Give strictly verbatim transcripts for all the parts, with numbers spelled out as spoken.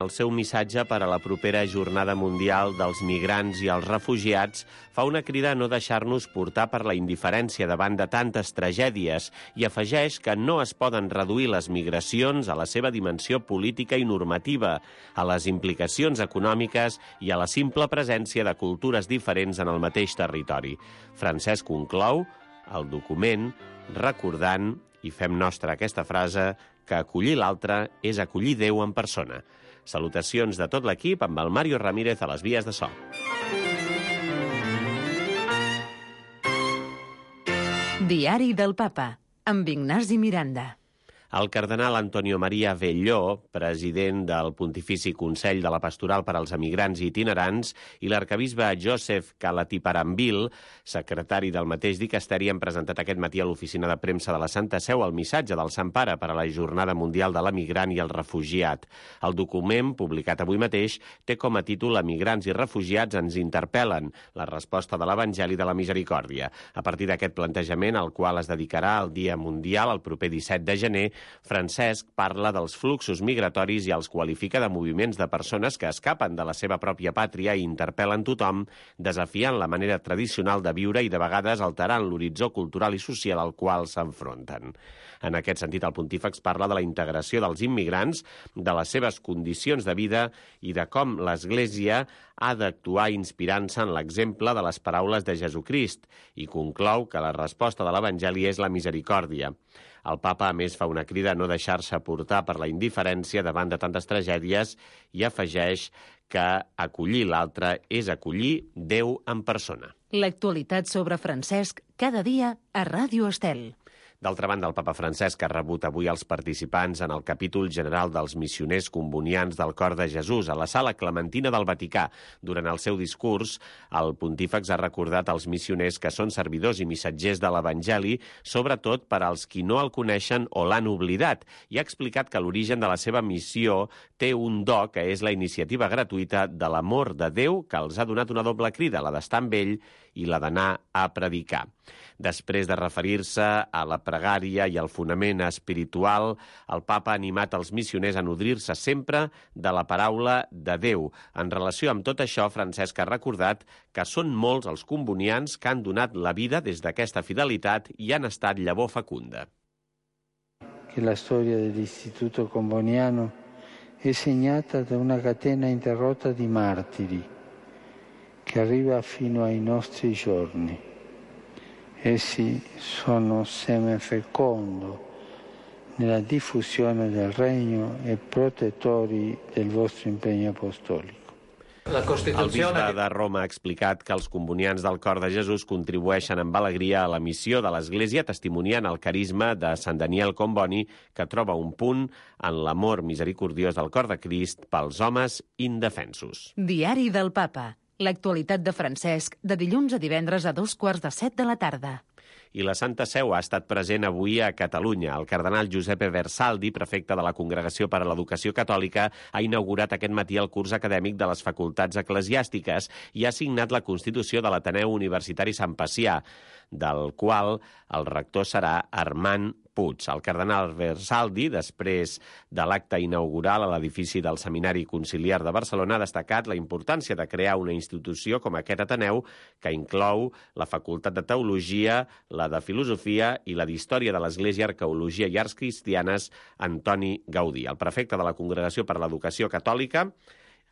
El seu missatge per a la propera Jornada Mundial dels Migrants i els Refugiats fa una crida a no deixar-nos portar per la indiferència davant de tantes tragèdies i afegeix que no es poden reduir les migracions a la seva dimensió política i normativa, a les implicacions econòmiques i a la simple presència de cultures diferents en el mateix territori. Francesc conclou el document recordant, i fem nostra aquesta frase, que acollir l'altre és acollir Déu en persona. Salutacions de tot l'equip amb el Mario Ramírez a les vies de so. Diari del Papa, amb Ignasi Miranda. El cardenal Antonio Maria Velló, president del Pontifici Consell de la Pastoral per als Emigrants i Itinerants, i l'arcabisbe Joseph Calatiparambil, secretari del mateix dicasteri, han presentat aquest matí a l'oficina de premsa de la Santa Seu el missatge del Sant Pare per a la Jornada Mundial de l'Emigrant i el Refugiat. El document, publicat avui mateix, té com a títol «Emigrants i refugiats ens interpel·len, la resposta de l'Evangeli de la Misericòrdia». A partir d'aquest plantejament, al qual es dedicarà el Dia Mundial el proper disset de gener, Francesc parla dels fluxos migratoris i els qualifica de moviments de persones que escapen de la seva pròpia pàtria i interpel·len tothom, desafiant la manera tradicional de viure i de vegades alterant l'horitzó cultural i social al qual s'enfronten. En aquest sentit, el pontífex parla de la integració dels immigrants, de les seves condicions de vida i de com l'Església ha d'actuar inspirant-se en l'exemple de les paraules de Jesucrist i conclou que la resposta de l'Evangeli és la misericòrdia. El papa, a més, fa una crida a no deixar-se portar per la indiferència davant de tantes tragèdies i afegeix que acollir l'altre és acollir Déu en persona. L'actualitat sobre Francesc cada dia a Ràdio Estel. D'altra banda, el papa Francesc ha rebut avui els participants en el capítol general dels missioners combonians del Cor de Jesús a la Sala Clementina del Vaticà. Durant el seu discurs, el pontífex ha recordat als missioners que són servidors i missatgers de l'Evangeli, sobretot per als qui no el coneixen o l'han oblidat, i ha explicat que l'origen de la seva missió té un do que és la iniciativa gratuïta de l'amor de Déu que els ha donat una doble crida, la d'estar amb ell i la d'anar a predicar. Després de referir-se a la pregària i al fonament espiritual, el papa ha animat els missioners a nodrir-se sempre de la paraula de Déu. En relació amb tot això, Francesc ha recordat que són molts els combonians que han donat la vida des d'aquesta fidelitat i han estat llavor fecunda. Que la storia dell'Istituto Comboniano è segnata da una catena interrotta di martiri che arriva fino ai nostri giorni. Essi sono seme fecondo nella diffusione del regno e protettori del vostro impegno apostolico. La Constituzione... El bisbe de Roma ha explicat que els combonians del Cor de Jesús contribueixen amb alegria a la missió de l'Església, testimoniant el carisma de Sant Daniel Comboni, que troba un punt en l'amor misericordiós del Cor de Crist pels homes indefensos. Diari del Papa. L'actualitat de Francesc, de dilluns a divendres a dos quarts de set de la tarda. I la Santa Seu ha estat present avui a Catalunya. El cardenal Giuseppe Versaldi, prefecte de la Congregació per a l'Educació Catòlica, ha inaugurat aquest matí el curs acadèmic de les facultats eclesiàstiques i ha signat la Constitució de l'Ateneu Universitari Sant Pacià, del qual el rector serà Armand Puig. El cardenal Versaldi, després de l'acte inaugural a l'edifici del Seminari Conciliar de Barcelona, ha destacat la importància de crear una institució com aquest Ateneu que inclou la Facultat de Teologia, la de Filosofia i la d'Història de l'Església, Arqueologia i Arts Cristianes, Antoni Gaudí. El prefecte de la Congregació per a l'Educació Catòlica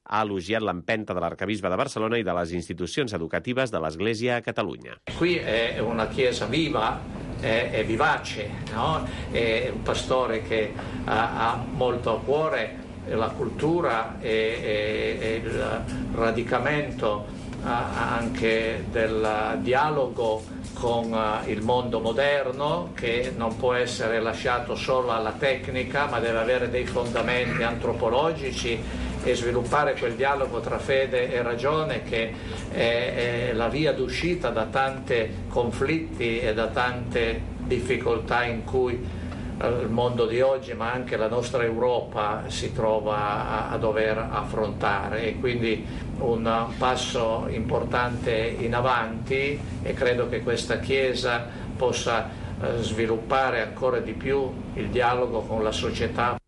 ha elogiat l'empenta de l'arcabisbe de Barcelona i de les institucions educatives de l'Església a Catalunya. Qui è una chiesa viva, è, è vivace, no? È un pastore che ha, ha molto a cuore la cultura e, e, e il radicamento anche del dialogo con il mondo moderno, che non può essere lasciato solo alla tecnica, ma deve avere dei fondamenti antropologici e sviluppare quel dialogo tra fede e ragione che è, è la via d'uscita da tanti conflitti e da tante difficoltà in cui il mondo di oggi, ma anche la nostra Europa, si trova a, a dover affrontare, e quindi un passo importante in avanti, e credo che questa Chiesa possa eh, sviluppare ancora di più il dialogo con la società.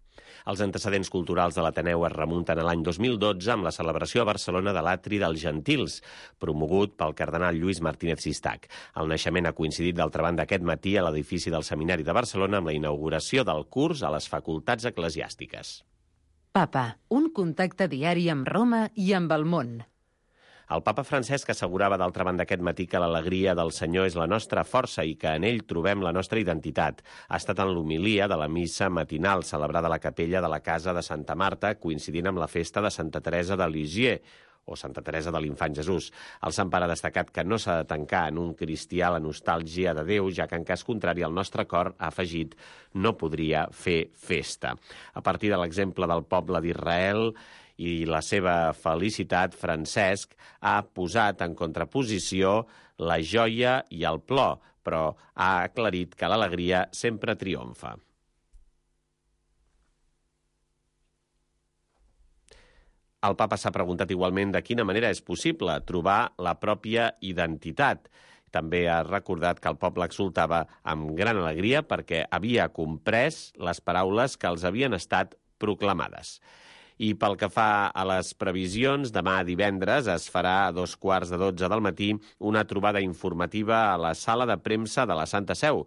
Els antecedents culturals de l'Ateneu es remunten a l'any dos mil dotze amb la celebració a Barcelona de l'Atri dels Gentils, promogut pel cardenal Lluís Martínez Sistac. El naixement ha coincidit d'altra banda aquest matí a l'edifici del Seminari de Barcelona amb la inauguració del curs a les facultats eclesiàstiques. Papa, un contacte diari amb Roma i amb el món. El papa Francesc assegurava d'altra banda aquest matí que l'alegria del Senyor és la nostra força i que en ell trobem la nostra identitat. Ha estat en l'homilia de la missa matinal celebrada a la capella de la Casa de Santa Marta, coincidint amb la festa de Santa Teresa de Lisieux, o Santa Teresa de l'Infant Jesús. El Sant Pare ha destacat que no s'ha de tancar en un cristià la nostàlgia de Déu, ja que en cas contrari el nostre cor, ha afegit, no podria fer festa. A partir de l'exemple del poble d'Israel i la seva felicitat, Francesc ha posat en contraposició la joia i el plor, però ha aclarit que l'alegria sempre triomfa. El papa s'ha preguntat igualment de quina manera és possible trobar la pròpia identitat. També ha recordat que el poble exultava amb gran alegria perquè havia comprès les paraules que els havien estat proclamades. I pel que fa a les previsions, demà divendres es farà a dos quarts de dotze del matí una trobada informativa a la sala de premsa de la Santa Seu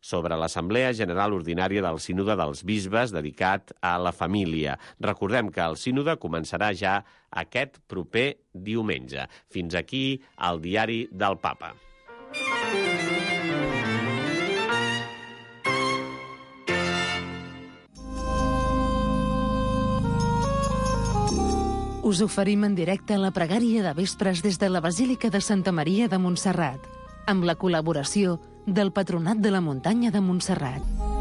sobre l'Assemblea General Ordinària del Sínode dels Bisbes dedicat a la família. Recordem que el sínode començarà ja aquest proper diumenge. Fins aquí el diari del Papa. Us oferim en directe la pregària de vespres des de la Basílica de Santa Maria de Montserrat, amb la col·laboració del Patronat de la Muntanya de Montserrat.